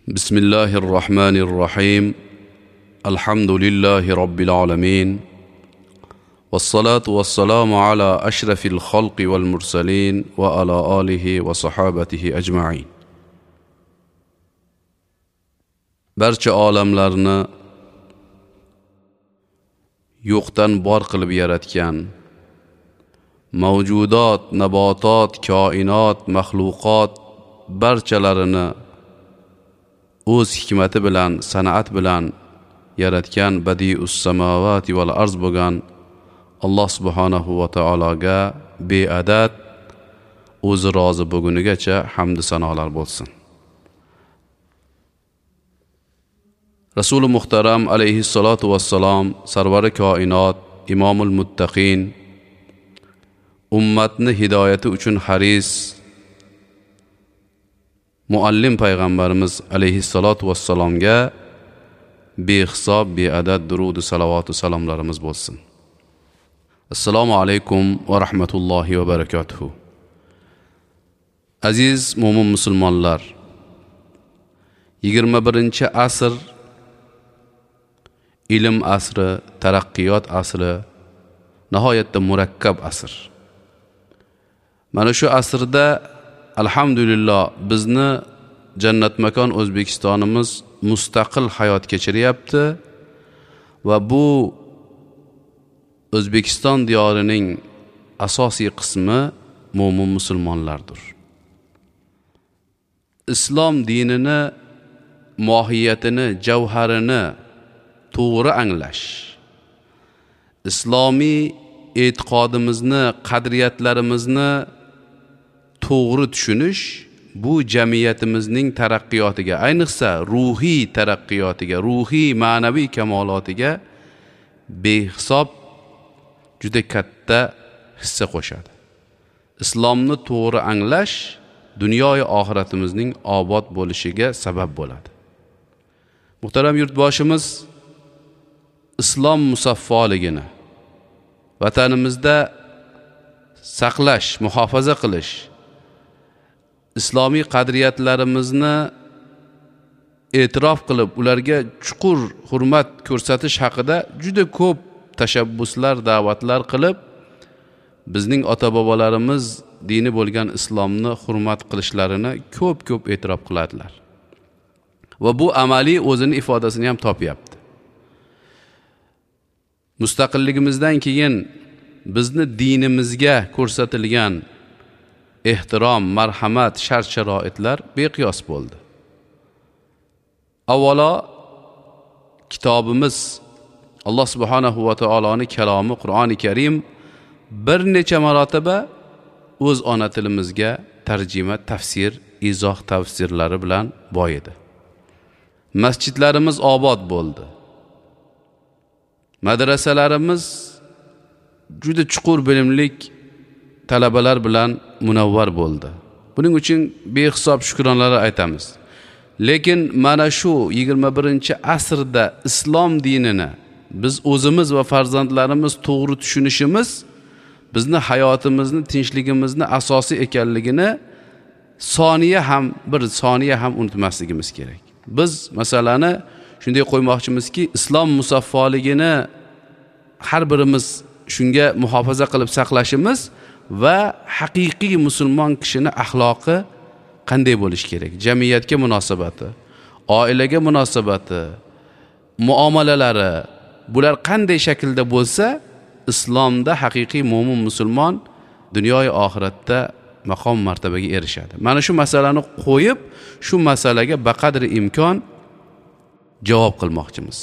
بسم الله الرحمن الرحيم. الحمد لله رب العالمين، والصلاة والسلام على أشرف الخلق والمرسلين وعلى آله وصحابته أجمعين. Barcha olamlarni yo'qdan bor qilib yaratgan, mavjudot, nabotot, koinot, maxluqot barchalarini o'z hikmati bilan, san'at bilan yaratgan badius samawati val arz bo'lgan Alloh subhanahu va taologa beadad o'zi rozi bo'lgunigacha hamd sanolar bo'lsin. Rasuli muhtaram alayhissalatu vassalom, sarvari koinot, imomul muttaqin, ummatni hidoyati uchun haris muallim payg'ambarimiz alayhissalatu vassalomga behisob beadad durud salovatu salomlarimiz bo'lsin. Assalomu alaykum va rahmatullohi va barakatuhu. Aziz mo'min musulmonlar, 21-asr ilm asri, taraqqiyot asri, nihoyatda murakkab asr. Mana shu asrda alhamdulillah bizni jannat makon O'zbekistonimiz mustaqil hayot kechiryapti va bu O'zbekiston diyorining asosiy qismi mo'min musulmonlardir. Islom dinini mohiyatini, javharini to'g'ri anglash, islomiy e'tiqodimizni, qadriyatlarimizni to'g'ri tushunish bu jamiyatimizning taraqqiyotiga, ayniqsa ruhiy taraqqiyotiga, ruhiy ma'naviy kamolotiga behisob juda katta hissa qo'shadi. Islomni to'g'ri anglash dunyoyu oxiratimizning obod bo'lishiga sabab bo'ladi. Muhtaram yurtboshimiz islom musaffoligini vatanimizda saqlash, muhofaza qilish, islomiy qadriyatlarimizni e'tirof qilib, ularga chuqur hurmat ko'rsatish haqida juda ko'p tashabbuslar, da'vatlar qilib, bizning ota-bobolarimiz dini bo'lgan islomni hurmat qilishlarini ko'p-ko'p e'tirof qiladilar. Va bu amaliy o'zini ifodasini ham topyapti. Mustaqilligimizdan keyin bizni dinimizga ko'rsatilgan ehtirom, marhamat, shart-sharoitlar beqiyos bo'ldi. Avvalo kitobimiz Alloh subhanahu va taoloning kalomi Qur'oni Karim bir necha marotaba o'z ona tilimizga tarjima, tafsir, izoh tafsirlari bilan boyidi. Masjidlarimiz obod bo'ldi. Madrasalarimiz juda chuqur bilimlik talabalar bilan munavvar bo'ldi. Buning uchun behisob shukronalar aytamiz. Lekin mana shu 21-asrda islom dinini biz o'zimiz va farzandlarimiz to'g'ri tushunishimiz bizni hayotimizni, tinchligimizni asosi ekanligini soniya ham, bir soniya ham unutmasligimiz kerak. Biz masalani shunday qo'ymoqchimizki, islom musaffoligini har birimiz shunga muhofaza qilib saqlashimiz va haqiqiy musulmon kishini axloqi qanday bo'lishi kerak, jamiyatga munosabati, oilaga munosabati, muomalalari, bular qanday shaklda bo'lsa, islomda haqiqiy mo'min musulmon dunyoyu oxiratda maqom martabaga erishadi. Mana shu masalani qo'yib, shu masalaga baqadri imkon javob qilmoqchimiz.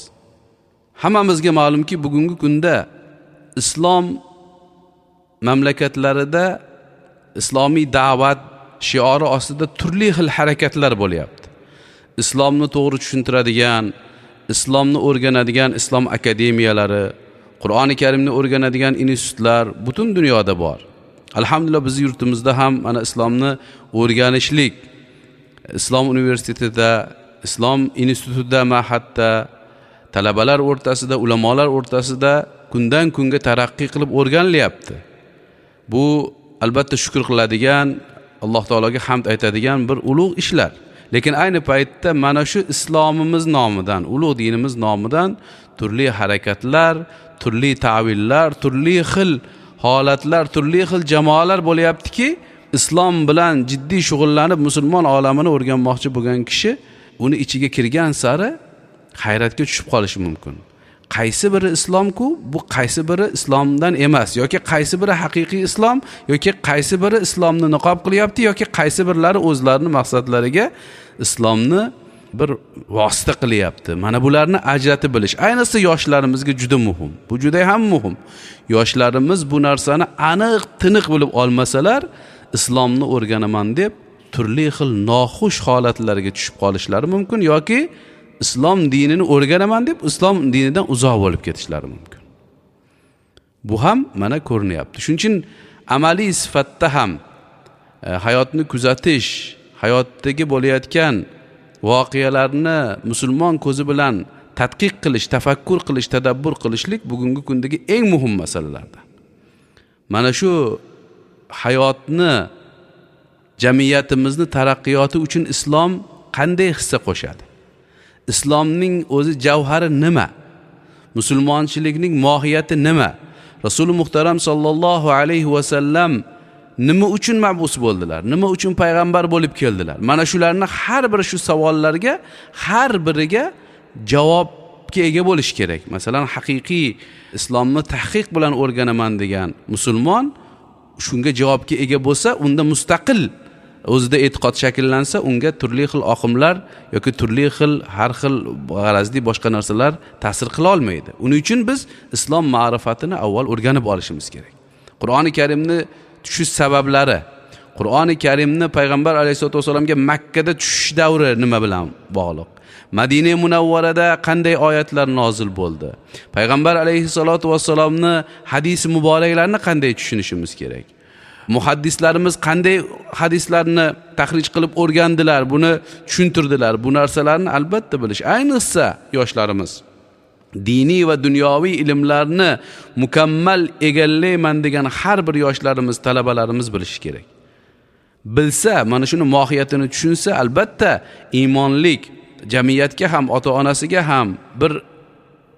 Hammamizga ma'lumki, bugungi kunda islom mamlakatlarida islomiy da'vat shiori ostida turli xil harakatlar bo'lyapti. Islomni to'g'ri tushuntiradigan, islomni o'rganadigan islom akademiyalari, Qur'oni Karimni o'rganadigan institutlar butun dunyoda bor. Alhamdulillah biz yurtimizda ham mana islomni o'rganishlik, islom universitetida, islom institutida, mahatda talabalar o'rtasida, ulamolar o'rtasida kundan kunga taraqqiy qilib o'rganilyapti. Bu albatta shukr qiladigan, Alloh taologa hamd aytadigan bir ulug' ishlar. Lekin ayni paytda mana shu islomimiz nomidan, ulug' dinimiz nomidan turli harakatlar, turli ta'villar, turli xil holatlar, turli xil jamoalar bo'lyaptiki, islom bilan jiddiy shug'ullanib musulmon olamini o'rganmoqchi bo'lgan kishi uni ichiga kirgan sari hayratga tushib qolishi mumkin. Qaysi biri islomku, bu qaysi biri islomdan emas, yoki qaysi biri haqiqiy islom, yoki qaysi biri islomni niqob qilyapti, yoki qaysi birlari o'zlarini maqsadlariga islomni bir vosita qilyapti. Mana bularni ajratib bilish ayniqsa yoshlarimizga juda muhim. Bu juda ham muhim. Yoshlarimiz bu narsani aniq, tiniq bilib olmasalar, islomni o'rganaman deb turli xil noxush holatlarga tushib qolishlari mumkin yoki islom dinini o'rganaman deb islom dinidan uzoq bo'lib ketishlari mumkin. Bu ham mana ko'rinyapti. Shuning uchun amaliy sifatda ham hayotni kuzatish, hayotdagi bo'layotgan voqealarni musulmon ko'zi bilan tadqiq qilish, tafakkur qilish, tadabbur qilishlik bugungi kundagi eng muhim masalalardan. Mana shu hayotni, jamiyatimizni taraqqiyoti uchun islom qanday hissa qo'shadi? Islomning o'zi javhari nima? Musulmonchilikning mohiyati nima? Rasuli muhtaram sallallohu alayhi va sallam nima uchun mabus bo'ldilar? Nima uchun payg'ambar bo'lib keldilar? Mana shularni har bir shu savollarga har biriga javobga ega bo'lish kerak. Masalan, haqiqiy islomni tahqiq bilan o'rganaman degan musulmon shunga javobga ega bo'lsa, unda mustaqil o'zida e'tiqod shakllansa, unga turli xil oqimlar yoki turli xil har xil g'arazli boshqa narsalar ta'sir qila olmaydi. Uning uchun biz islom ma'rifatini avval o'rganib olishimiz kerak. Qur'oni Karimni tushish sabablari, Qur'oni Karimni payg'ambar alayhisolatu vasallamga Makka da tushish davri nima bilan bog'liq? Madina Munavvarada qanday oyatlar nozil bo'ldi? Payg'ambar alayhisolatu vassalomni hadisi muboraklarini qanday tushunishimiz kerak? Muhaddislarimiz qanday hadislarni tahrij qilib o'rgandilar, buni tushuntirdilar. Bu narsalarni albatta bilish, ayniqsa yoshlarimiz diniy va dunyoviy ilmlarni mukammal egallayman degan har bir yoshlarimiz, talabalarimiz bilishi kerak. Bilsa, mana shuni mohiyatini tushunsa, albatta iymonlik jamiyatga ham, ota-onasiga ham bir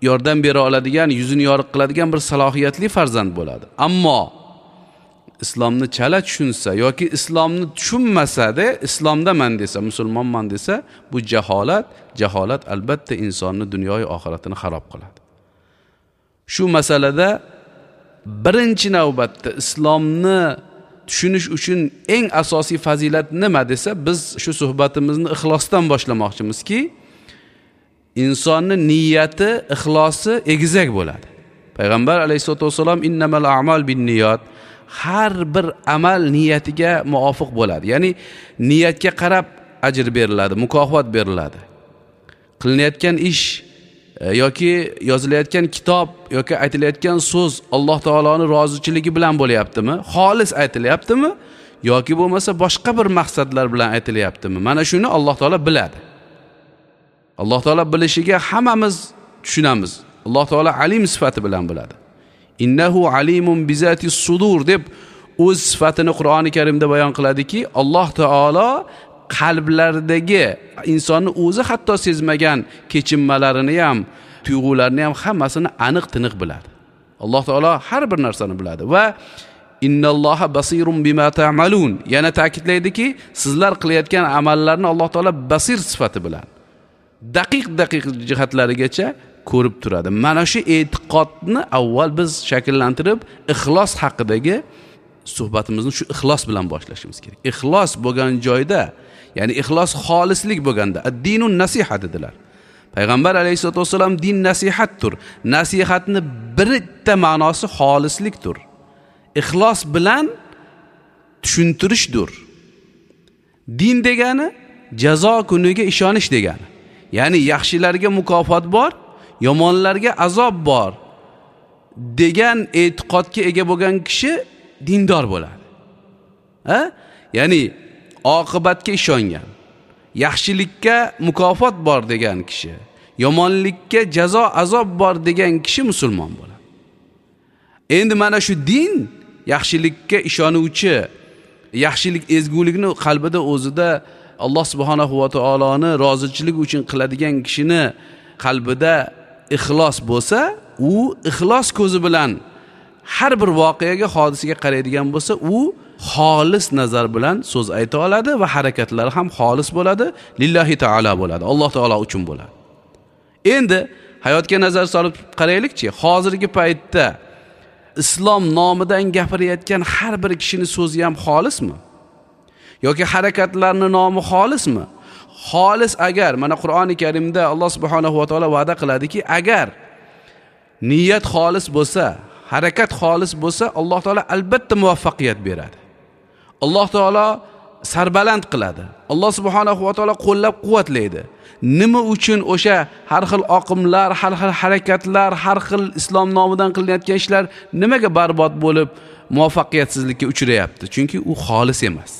yordam bera oladigan, yuzini yorug' qiladigan bir salohiyatli farzand bo'ladi. Ammo islomni chala tushunsa yoki islomni tushunmasa-da, islomdaman desa, musulmonman desa, bu jaholat, jaholat albatta insonni dunyoyu oxiratini xarob qiladi. Shu masalada birinchi navbatda islomni tushunish uchun eng asosiy fazilat nima desa, biz shu suhbatimizni ixlosdan boshlamoqchimizki, insonni niyati, ixlosi egizak bo'ladi. Payg'ambar alayhisolatu vasallam innamal a'mal binniyat, har bir amal niyatiga muvofiq bo'ladi. Ya'ni niyatga qarab ajr beriladi, mukofot beriladi. Qilinayotgan ish yoki yozilayotgan kitob yoki aytilayotgan so'z Alloh taoloning rozichiligi bilan bo'lyaptimi? Xolis aytilyaptimi yoki bo'lmasa boshqa bir maqsadlar bilan aytilyaptimi? Mana shuni Alloh taolo biladi. Alloh taolo bilishiga hammamiz tushunamiz. Alloh taolo alim sifati bilan biladi. Innahu alimun bizati sudur deb o'z sifatini Qur'oni Karimda bayon qiladiki, Alloh taolo qalblardagi insonni o'zi hatto sezmagan kechinmalarini ham, tuyg'ularini ham hammasini aniq tiniq biladi. Alloh taolo har bir narsani biladi va innalloha basirun bima ta'malun yana ta'kidlaydiki, sizlar qilayotgan amallarni Alloh taolo basir sifati bilan daqiq-daqiq jihatlarigacha ko'rib turadi. Mana shu e'tiqodni avval biz shakllantirib, ixlos haqidagi suhbatimizni shu ixlos bilan boshlashimiz kerak. Ixlos bo'lgan joyda, ya'ni ixlos xolislik bo'lganda, ad-dinun nasiha dedilar. Payg'ambar alayhisolatu vasallam din nasihatdir. Nasihatni bitta ma'nosi xolislikdir. Ixlos bilan tushuntirishdir. Din degani jazo kuniga ishonish degani. Ya'ni yaxshilarga mukofot bor, yomonlarga azob bor degan e'tiqodga ega bo'lgan kishi dindor bo'ladi. Ha? Ya'ni oqibatga ishongan, yaxshilikka mukofot bor degan kishi, yomonlikka jazo azob bor degan kishi musulmon bo'ladi. Endi mana shu din yaxshilikka ishonuvchi, yaxshilik ezgulikni qalbida o'zida Alloh subhanahu va taoloni rozichiligi uchun qiladigan kishini qalbida ixlos bo'lsa, u ixlos ko'zi bilan har bir voqeaga, hodisaga qaraydigan bo'lsa, u xolis nazar bilan so'z ayta oladi va harakatlari ham xolis bo'ladi, lillahi taolo bo'ladi, Alloh taolo uchun bo'ladi. Endi hayotga nazar solib qaraylikchi, hozirgi paytda islom nomidan gapirayotgan har bir kishini so'zi ham xolismi? Yoki harakatlarning nomi xolismi? Xolis agar, mana Qur'oni Karimda Alloh subhanahu va taolo va'da qiladiki, agar niyat xolis bo'lsa, harakat xolis bo'lsa, Alloh taolo albatta muvaffaqiyat beradi. Alloh taolo sarbaland qiladi. Alloh subhanahu va taolo qo'llab-quvvatlaydi. Nima uchun o'sha har xil oqimlar, har xil harakatlar, har xil islom nomidan qilinayotgan ishlar nimaga barbod bo'lib muvaffaqiyatsizlikka uchrayapti? Chunki u xolis emas.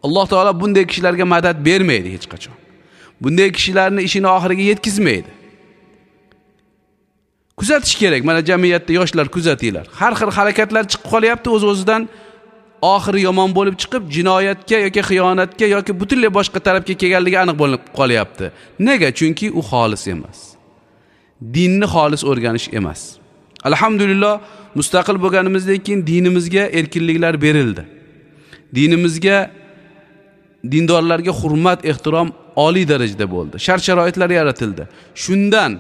Alloh taolo bunday kishilarga madad bermaydi hech qachon. Bunday kishilarning ishini oxiriga yetkazmaydi. Kuzatish kerak. Mana jamiyatda yoshlar kuzatinglar. Har xil harakatlar chiqib qolyapti, o'z-o'zidan oxiri yomon bo'lib chiqib, jinoyatga yoki xiyonatga yoki butunlay boshqa tarafga kelganligi aniq bo'lib qolyapti. Nega? Chunki u xolis emas. Dinni xolis o'rganish emas. Alhamdulillah, mustaqil bo'lganimizdan keyin dinimizga erkinliklar berildi. Dinimizga, dindorlarga hurmat, ehtirom oliy darajada bo'ldi. Shart-sharoitlar yaratildi. Shundan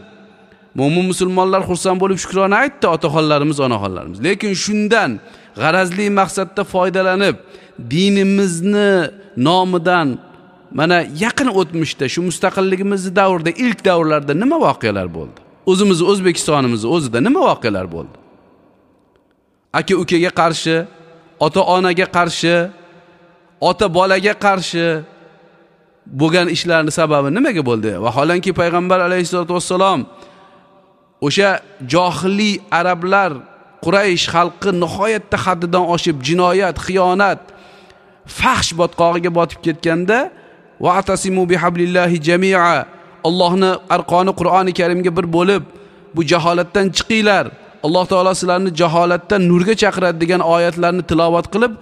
mo'min musulmonlar xursand bo'lib shukrona aytdi otaxonlarimiz, onaxonlarimiz. Lekin shundan g'arazli maqsadda foydalanib, dinimizni nomidan mana yaqin o'tmishda, shu mustaqilligimizni davrida, ilk davrlarda nima voqealar bo'ldi? O'zimiz O'zbekistonimiz o'zida nima voqealar bo'ldi? Aka-ukaga qarshi, ota-onaga qarshi, ota bolaga qarshi bo'lgan ishlarning sababi nimaga bo'ldi? Vaholanki payg'ambar alayhisolatu vassalom o'sha johiliy arablar, Quraysh xalqi nihoyatda haddidan oshib jinoyat, xiyonat, fahsh botqog'iga botib ketganda, va atasimu bihablillahi jami'a, Allohni arqoni Qur'oni Karimga bir bo'lib, bu jaholatdan chiqinglar, Alloh taolo sizlarni jaholatdan nurga chaqiradi degan oyatlarni tilovat qilib,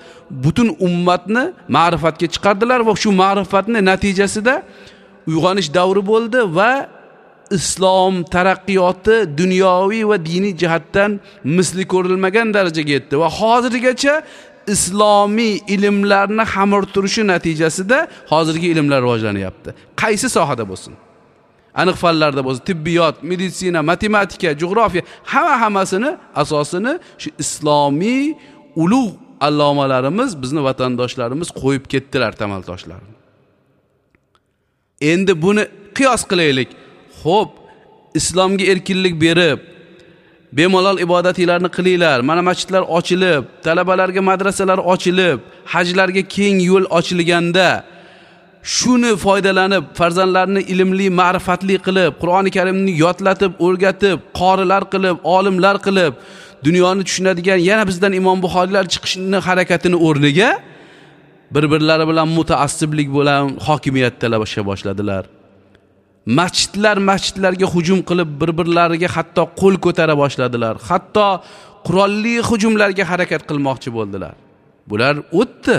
butun ummatni ma'rifatga chiqardilar va shu ma'rifatning natijasida uyg'onish davri bo'ldi va islom taraqqiyoti dunyoviy va diniy jihatdan misli ko'rilmagan darajaga yetdi va hozirgacha islomiy ilmlarni xamir turishi natijasida hozirgi ilmlar rivojlanyapti. Qaysi sohada bo'lsin, aniq fanlarda bo'lsin, tibbiyot, meditsina, matematika, jo'g'rofiya, hammasini asosini shu islomiy ulug' allomalarimiz, bizni vatandoshlarimiz qo'yib ketdilar tamal toshlarini. Endi buni qiyos qilaylik. Xo'p, islomga erkinlik berib, bemalol ibodatlarni qilinglar. Mana masjidlar ochilib, talabalarga madrasalar ochilib, hajlarga keng yo'l ochilganda shuni foydalanib, farzandlarni ilmli, ma'rifatli qilib, Qur'oni Karimni yodlatib, o'rgatib, qorilar qilib, olimlar qilib, dunyoni tushunadigan yana bizdan Imom Buxoriylar chiqishini harakatini o'rniga bir-birlari bilan mutaassiblik bilan hokimiyat talasha boshladilar. Masjidlar masjidlarga hujum qilib, bir-birlariga hatto qo'l ko'tara boshladilar. Hatto qurolli hujumlarga harakat qilmoqchi bo'ldilar. Bular o'tdi.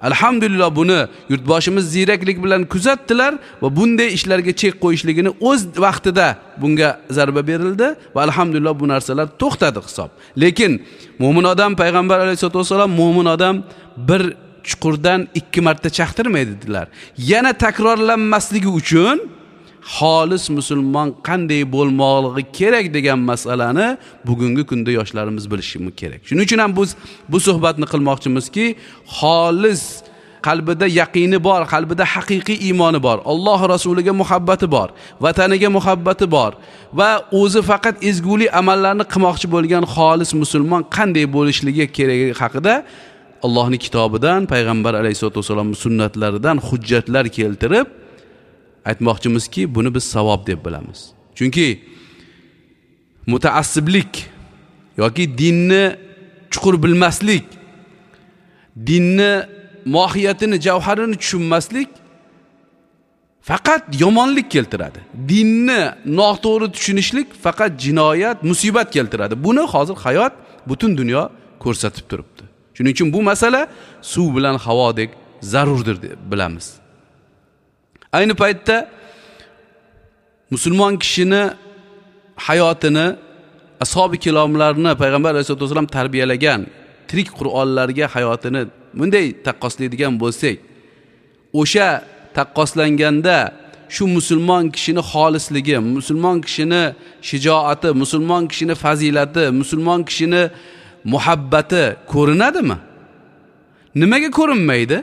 Alhamdulillah, buni yurtboshimiz ziyraklik bilan kuzatdilar va bunday ishlarga chek qo'yishligini o'z vaqtida bunga zarba berildi va alhamdulillah bu narsalar to'xtadi hisob. Lekin mo'min odam, payg'ambar alayhisolatu vasallam mo'min odam bir chuqurdan 2 marta chaqtirmaydi dedilar. Yana takrorlanmasligi uchun xolis musulmon qanday bo'lmoqligi kerak degan masalani bugungi kunda yoshlarimiz bilishi kerak. Shuning uchun ham biz bu suhbatni qilmoqchimizki, xolis qalbida yaqini bor, qalbida haqiqiy iymoni bor, Alloh rasuliga muhabbati bor, vataniga muhabbati bor va o'zi faqat ezgulik amallarni qilmoqchi bo'lgan xolis musulmon qanday bo'lishligi keragi haqida Allohning kitobidan, payg'ambar alayhisolatu vasallamning sunnatlaridan hujjatlar keltirib aytmoqchimizki, buni biz savob deb bilamiz. Chunki mutaassiblik yoki dinni chuqur bilmaslik, dinni mohiyatini, javharini tushunmaslik faqat yomonlik keltiradi. Dinni noto'g'ri tushunishlik faqat jinoyat, musibat keltiradi. Buni hozir hayot, butun dunyo ko'rsatib turibdi. Shuning uchun bu masala suv bilan havodek zarurdir deb bilamiz. Ayni paytda musulmon kishini hayotini ashobi kiromlarni payg'ambar alayhisolatu vasallam tarbiyalagan tirik Qur'onlarga hayotini bunday taqqoslaydigan bo'lsak, o'sha taqqoslanganda shu musulmon kishini xolisligi, musulmon kishini shijoati, musulmon kishini fazilati, musulmon kishini muhabbati ko'rinadimi? Nimaga ko'rinmaydi?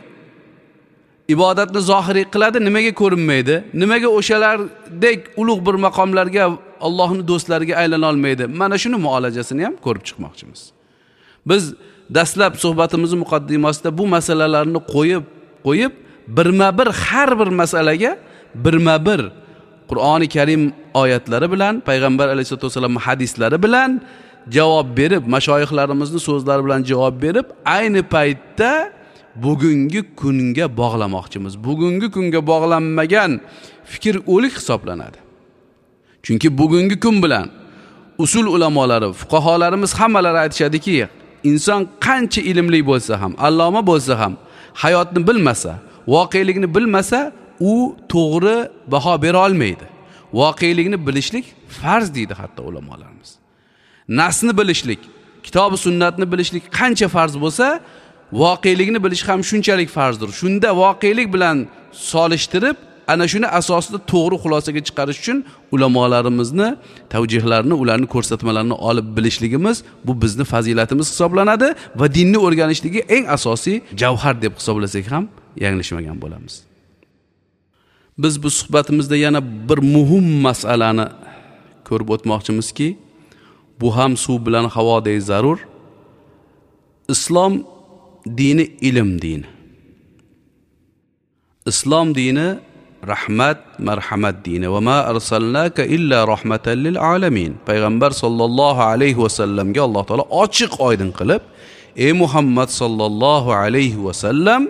Ibodatni zohiriy qiladi, nimaga ko'rinmaydi? Nimaga o'shalardek ulug' bir maqomlarga, Allohning do'stlariga aylana olmaydi? Mana shuni muolajasini ham ko'rib chiqmoqchimiz. Biz dastlab suhbatimiz muqaddimasida bu masalalarni qo'yib birma-bir har bir masalaga birma-bir Qur'oni Karim oyatlari bilan, payg'ambar alayhisolatu vasallam hadislari bilan javob berib, mashoyixlarimizning so'zlari bilan javob berib, ayni paytda bugungi kunga bog'lamoqchimiz. Bugungi kunga bog'lanmagan fikr o'lik hisoblanadi. Chunki bugungi kun bilan usul ulamolari, fuqaholarimiz hammalari aytishadiki, inson qancha ilmli bo'lsa ham, alloma bo'lsa ham, hayotni bilmasa, voqelikni bilmasa, u to'g'ri baho bera olmaydi. Voqelikni bilishlik farz deydi hatto ulamolarimiz. Nasni bilishlik, kitob va sunnatni bilishlik qancha farz bo'lsa, voqelikni bilish ham shunchalik farzdir. Shunda voqelik bilan solishtirib, ana shuni asosida to'g'ri xulosaga chiqarish uchun ulamolarimizni tavjihlarini, ularning ko'rsatmalarini olib bilishligimiz bu bizni fazilatimiz hisoblanadi va dinni o'rganishligi eng asosiy javhar deb hisoblasak ham yanglishmagan bo'lamiz. Biz bu suhbatimizda yana bir muhim masalani ko'rib o'tmoqchimizki, bu ham suv bilan havodek zarur. Islom dini ilm dini. Islom dini rahmat, marhamat dini. Va ma arsalnaka illa rahmatan lil alamin. Payg'ambar sollallohu alayhi va sallamga Alloh taolo ochiq oydin qilib, ey Muhammad sollallohu alayhi va sallam,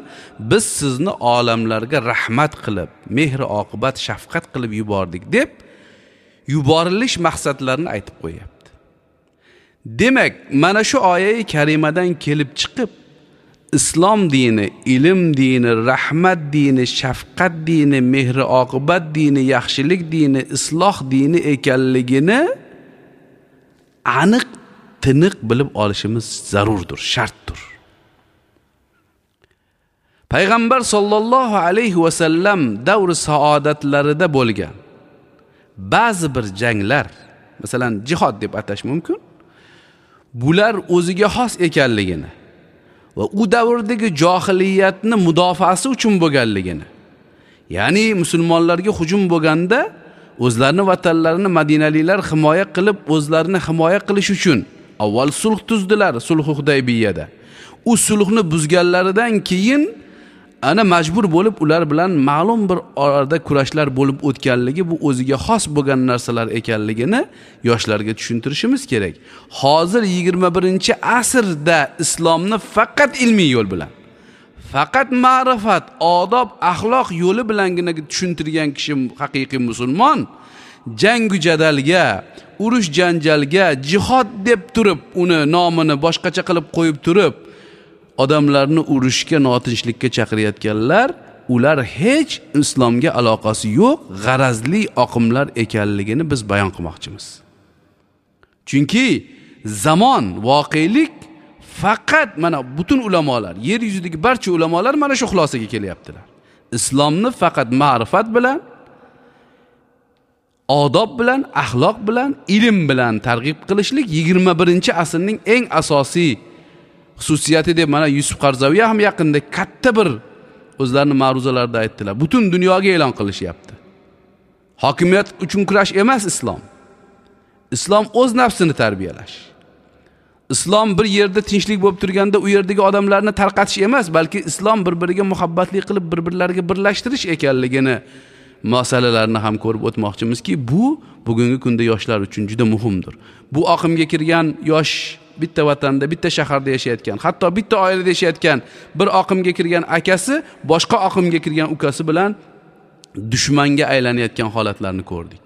biz sizni olamlarga rahmat qilib, mehr oqibat, shafqat qilib yubordik deb yuborilish maqsadlarini aytib qo'yapti. Demak, mana shu oyat karimadan kelib chiqib, islom dini, ilm dini, rahmat dini, shafqat dini, mehr oqibat dini, yaxshilik dini, isloh dini ekanligini aniq tiniq bilib olishimiz zarurdir, shartdir. Payg'ambar sollallohu alayhi va sallam davri saodatlarida bo'lgan ba'zi bir janglar, masalan jihod deb atash mumkin, bular o'ziga xos ekanligini va u davrdagi johiliyatni mudofaasi uchun bo'lganligini, ya'ni musulmonlarga hujum bo'lganda o'zlarini vatanlarini madinaliklar himoya qilib, o'zlarini himoya qilish uchun avval sulh tuzdilar, sulh Hudaybiyada. U sulhni buzganlaridan keyin ana majbur bo'lib ular bilan ma'lum bir orada kurashlar bo'lib o'tganligi, bu o'ziga xos bo'lgan narsalar ekanligini yoshlarga tushuntirishimiz kerak. Hozir 21-asrda islomni faqat ilmiy yo'l bilan, faqat ma'rifat, odob, axloq yo'li bilangina tushuntirgan kishi haqiqiy musulmon. Jangu jadalga, urush janjalga, jihod deb turib uni nomini boshqacha qilib qo'yib turib odamlarni urushga, notinchlikka chaqirayotganlar, ular hech islomga aloqasi yo'q, g'arazli oqimlar ekanligini biz bayon qilmoqchimiz. Chunki zamon, voqelik faqat mana butun ulamolar, yer yuzidagi barcha ulamolar mana shu xulosaga kelyaptilar. Islomni faqat ma'rifat bilan, odob bilan, axloq bilan, ilm bilan targ'ib qilishlik 21-asrning eng asosiy xususiyati deb mana Yusuf Qarzaviy ham yaqinda katta bir o'zlarini ma'ruzalarida aytdilar. Butun dunyoga e'lon qilishyapti. Hokimiyat uchun kurash emas islom. Islom o'z nafsini tarbiyalash. Islom bir yerda tinchlik bo'lib turganda u yerdagi odamlarni tarqatish emas, balki islom bir-biriga muhabbatli qilib bir-birlariga birlashtirish ekanligini masalalarini ham ko'rib o'tmoqchimizki, bu bugungi kunda yoshlar uchun juda muhimdir. Bu oqimga kirgan yosh bitta vatanda, bitta shaharda yashayotgan, hatto bitta oilada yashayotgan bir oqimga kirgan akasi boshqa oqimga kirgan ukasi bilan dushmanga aylanayotgan holatlarni ko'rdik.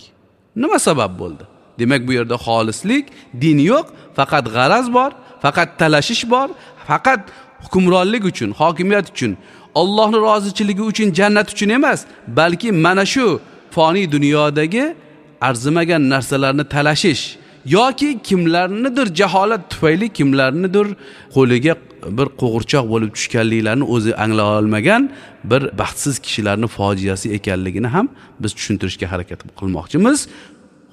Nima sabab bo'ldi? Demak, bu yerda xolislik, din yo'q, faqat g'araz bor, faqat talashish bor, faqat hukmronlik uchun, hokimiyat uchun. Allohning rozichiligi uchun, jannat uchun emas, balki mana shu foniy dunyodagi arzimagan narsalarni talashish yoki kimlarnidir jaholat tufayli kimlarnidir qo'liga bir qo'g'irchoq bo'lib tushganliklarini o'zi anglay olmagan bir baxtsiz kishilarning fojiasi ekanligini ham biz tushuntirishga harakat qilmoqchimiz.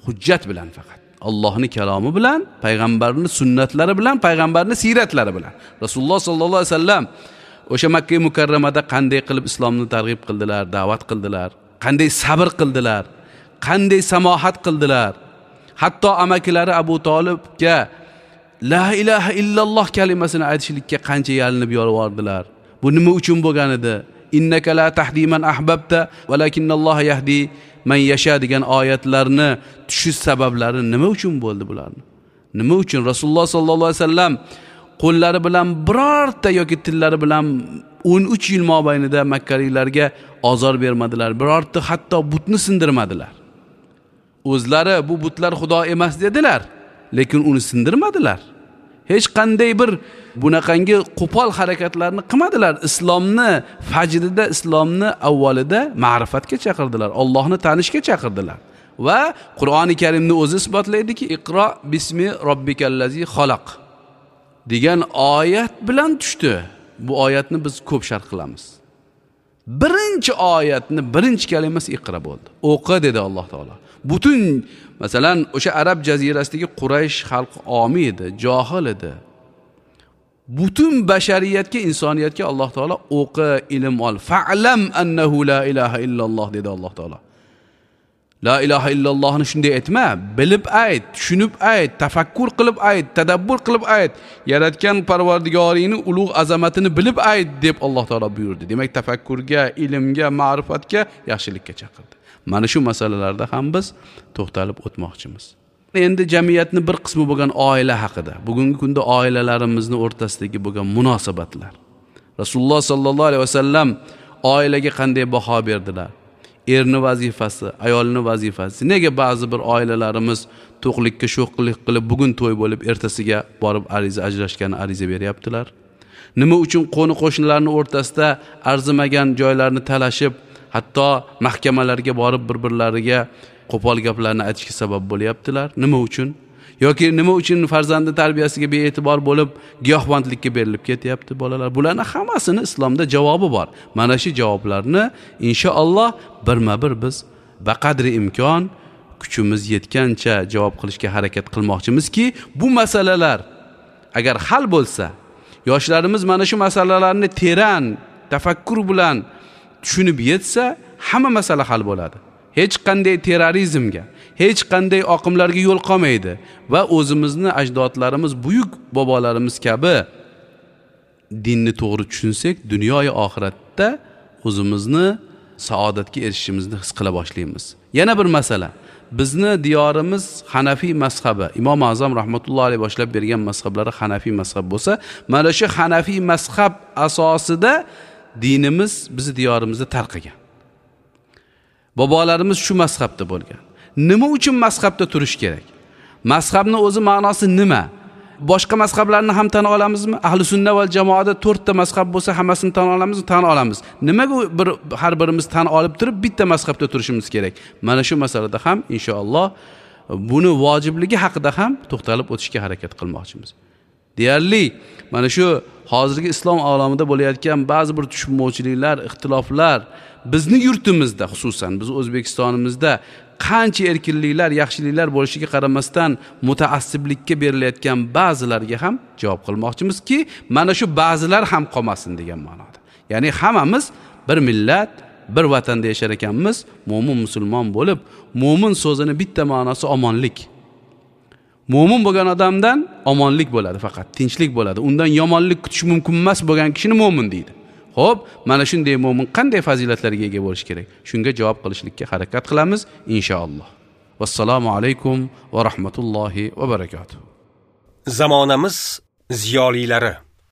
Hujjat bilan faqat. Allohning kalomi bilan, payg'ambarning sunnatlari bilan, payg'ambarning siyratlari bilan. Rasululloh sallallohu alayhi vasallam o'sha Makka mukarramada qanday qilib islomni targ'ib qildilar, da'vat qildilar, qanday sabr qildilar, qanday samohat qildilar. Hatto amakilari Abu Tolibga la ilaha illalloh kalimasini aytishlikka qancha yalinib yolvordilar. Bu nima uchun bo'lgan edi? Innaka la tahdi man ahbabta walakinnalloha yahdi man yasha degan oyatlarni tushish sabablari nima uchun bo'ldi bularni? Nima uchun Rasululloh sallallohu alayhi vasallam qo'llari bilan birorta yoki tillari bilan 13 yil mobaynida makkaliklarga ozor bermadilar, birorta hatto butni sindirmadilar. O'zlari bu butlar xudo emas dedilar, lekin uni sindirmadilar. Hech qanday bir bunaqangi qo'pol harakatlarni qilmadilar. Islomni fajrida, islomni avvalida ma'rifatga chaqirdilar, Allohni tanishga chaqirdilar. Va Qur'oni Karimni o'zi isbotlaydiki, Iqro bismi robbikallazi xalaq degan oyat bilan tushdi. Bu oyatni biz ko'p sharh qilamiz. Birinchi oyatni birinchi kalimasi iqro bo'ldi. O'qi dedi Alloh taolo. Butun masalan o'sha arab jazirasidagi Quraysh xalqi omi edi, johil edi. Butun bashariyatga, insoniyatga Alloh taolo o'qi, ilm ol. Fa'lam annahu la ilaha illalloh dedi Alloh taolo. La ilaha illallohni shunday aytma, bilib ayt, tushunib ayt, tafakkur qilib ayt, tadabbur qilib ayt. Yaratgan Parvardigoringni ulug' azamatini bilib ayt deb Alloh taolo buyurdi. Demak, tafakkurga, ilmga, ma'rifatga, yaxshilikka chaqirdi. Mana shu masalalarda ham biz to'xtalib o'tmoqchimiz. Endi jamiyatning bir qismi bo'lgan oila haqida, bugungi kunda oilalarimizni o'rtasidagi bo'lgan munosabatlar. Rasululloh sallallohu alayhi vasallam oilaga qanday baho berdilar? Erni vazifasi, ayolning vazifasi. Nega ba'zi bir oilalarimiz to'qlikka sho'xlik qilib bugun to'y bo'lib ertasiga borib ariza ajrashgan ariza beryaptilar? Nima uchun qo'ni qo'shnilarning o'rtasida arzimagan joylarni talashib, hatto mahkamalarga borib bir-birlariga qo'pol gaplarni aytishga sabab bo'lyaptilar? Nima uchun? Yoki nima uchun farzandning tarbiyasiga bee'tibor bo'lib giyohvandlikka berilib ketyapti bolalar? Bularning hammasini islomda javobi bor. Mana shu javoblarni inshaalloh birma-bir biz baqadri imkon kuchimiz yetgancha javob qilishga harakat qilmoqchimizki, bu masalalar agar hal bo'lsa, yoshlarimiz mana shu masalalarni teran tafakkur bilan tushunib yetsa, hamma masala hal bo'ladi. Hech qanday terrorizmga, hech qanday oqimlarga yo'l qolmaydi va o'zimizni ajdodlarimiz, buyuk bobolarimiz kabi dinni to'g'ri tushunsak, dunyoyu oxiratda o'zimizni saodatga erishishimizni his qila boshlaymiz. Yana bir masala, bizni diyorimiz Hanafiy mazhabi, Imom Azam rahmatullohi alayhi boshlab bergan mazhablari Hanafiy mazhab bo'lsa, mana shu Hanafiy mazhab asosida dinimiz bizni diyorimizda tarqagan. Bobolarimiz shu mazhabda bo'lgan. Nima uchun mazhabda turish kerak? Mazhabning o'zi ma'nosi nima? Boshqa mazhablarni ham tan olamizmi? Ahli sunna val jamoada 4 ta mazhab bo'lsa, hammasini tan olamizmi? Tan olamiz. Nimaga bir har birimiz tan olib turib bitta mazhabda turishimiz kerak? Mana shu masalada ham inshaalloh buni vojibligi haqida ham to'xtalib o'tishga harakat qilmoqchimiz. Deyarli mana shu hozirgi islom olamida bo'layotgan ba'zi bir tushunmovchiliklar, ixtiloflar bizni yurtimizda, xususan biz O'zbekistonimizda qancha erkinliklar, yaxshiliklar bo'lishiga qaramasdan mutaassiblikka berilayotgan ba'zilarga ham javob qilmoqchimizki, mana shu ba'zilar ham qolmasin degan ma'noda. Ya'ni hammamiz bir millat, bir vatanda yashar ekanmiz, mo'min musulmon bo'lib, mo'min so'zini bitta ma'nosi omonlik. Mo'min bo'lgan odamdan omonlik bo'ladi, faqat tinchlik bo'ladi. Undan yomonlik kutish mumkin emas bo'lgan kishini mo'min deydi. Xo'p, mana shunday mo'min qanday fazilatlarga ega bo'lish kerak? Shunga javob qilishlikka harakat qilamiz inshaalloh. Vassalomu alaykum va rahmatullohi va barakatuh. Zamonamiz ziyolilari.